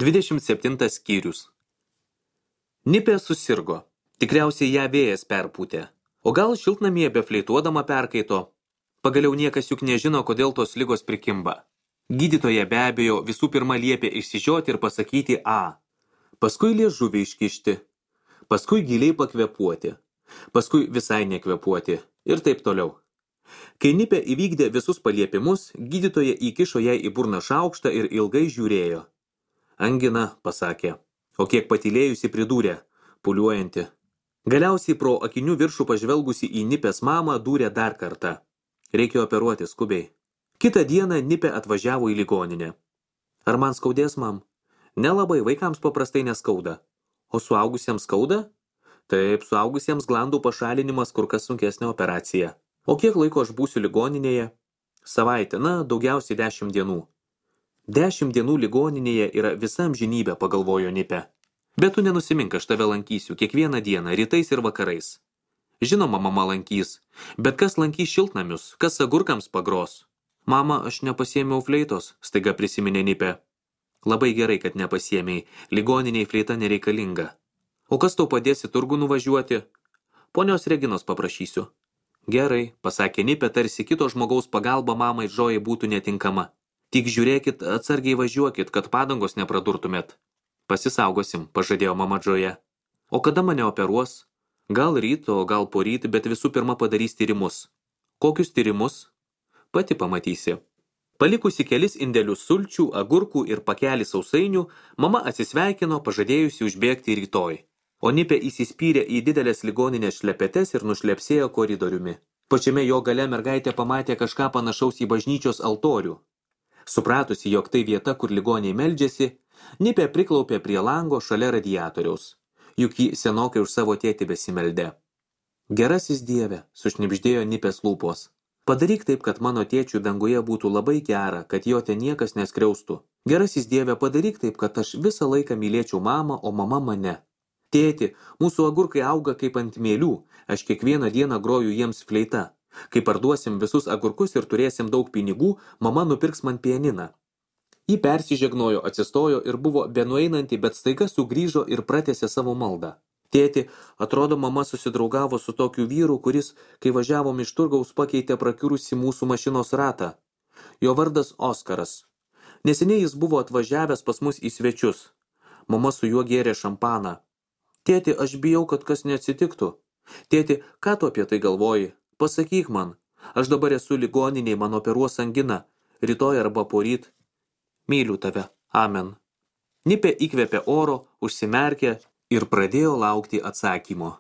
27 skyrius. Nipė susirgo. Tikriausiai ją vėjas perpūtė. O gal šiltnamyje befleituodama perkaito. Pagaliau niekas juk nežino, kodėl tos ligos prikimba. Gydytoja be abejo visų pirma liepė išsižioti ir pasakyti A. Paskui liežuvį iškišti. Paskui giliai pakvepuoti. Paskui visai nekvepuoti. Ir taip toliau. Kai Nipė įvykdė visus paliepimus, gydytoja įkišo jai į burną šaukštą ir ilgai žiūrėjo. Angina, pasakė, o kiek patylėjusi pridūrė, puliuojanti. Galiausiai pro akinių viršų pažvelgusi į Nipės mamą dūrė dar kartą. Reikia operuoti skubiai. Kitą dieną Nipė atvažiavo į ligoninę. Ar man skaudės, mam? Nelabai, vaikams paprastai neskauda. O suaugusiems skauda? Taip, suaugusiems glandų pašalinimas kur kas sunkesnė operacija. O kiek laiko aš būsiu ligoninėje? Savaitę, daugiausiai 10 dienų. 10 dienų ligoninėje yra visa amžinybė, pagalvojo Nipė. Bet tu nenusimink, aš tave lankysiu kiekvieną dieną, rytais ir vakarais. Žinoma, mama lankys, bet kas lankys šiltnamius, kas agurkams pagros? Mama, aš nepasiėmiau fleitos, staiga prisiminė Nipė. Labai gerai, kad nepasiėmei, ligoniniai fleita nereikalinga. O kas tau padės į turgų nuvažiuoti? Ponios Reginos paprašysiu. Gerai, pasakė Nipė, tarsi kito žmogaus pagalba mamai Džojai būtų netinkama. Tik žiūrėkit, atsargiai važiuokit, kad padangos nepradurtumėt. Pasisaugosim, pažadėjo mama Džoja. O kada mane operuos? Gal ryto, gal poryt, bet visų pirma padarys tyrimus. Kokius tyrimus? Pati pamatysi. Palikusi kelis indelius sulčių, agurkų ir pakelį sausainių, mama atsisveikino, pažadėjusi užbėgti rytoj. O Nipė įsispyrė į didelės ligoninės šlepetes ir nušlepsėjo koridoriumi. Pačiame jo gale mergaitė pamatė kažką panašaus į bažnyčios altorių. Supratusi, jog tai vieta, kur ligoniai meldžiasi, Nipė priklaupė prie lango šalia radiatoriaus. Juk ji senokai už savo tėtį besimeldė. Gerasis Dieve, sušnibždėjo Nipės lūpos. Padaryk taip, kad mano tėčių danguje būtų labai gera, kad jo ten niekas neskriaustų. Gerasis Dieve, padaryk taip, kad aš visą laiką mylėčiau mamą, o mama mane. Tėti, mūsų agurkai auga kaip ant mėlių, aš kiekvieną dieną groju jiems fleita. Kai parduosim visus agurkus ir turėsim daug pinigų, mama nupirks man pianiną. Ji persižegnojo, atsistojo ir buvo benueinanti, bet staiga sugrįžo ir pratęsė savo maldą. Tėti, atrodo, mama susidraugavo su tokiu vyru, kuris, kai važiavom iš turgaus, pakeitė prakiurusi mūsų mašinos ratą. Jo vardas Oskaras. Neseniai jis buvo atvažiavęs pas mus į svečius. Mama su juo gėrė šampaną. Tėti, aš bijau, kad kas neatsitiktų. Tėti, ką tu apie tai galvoji? Pasakyk man, aš dabar esu ligoniniai, man operuos angina, rytoj arba poryt. Myliu tave, amen. Nipė įkvėpė oro, užsimerkė ir pradėjo laukti atsakymo.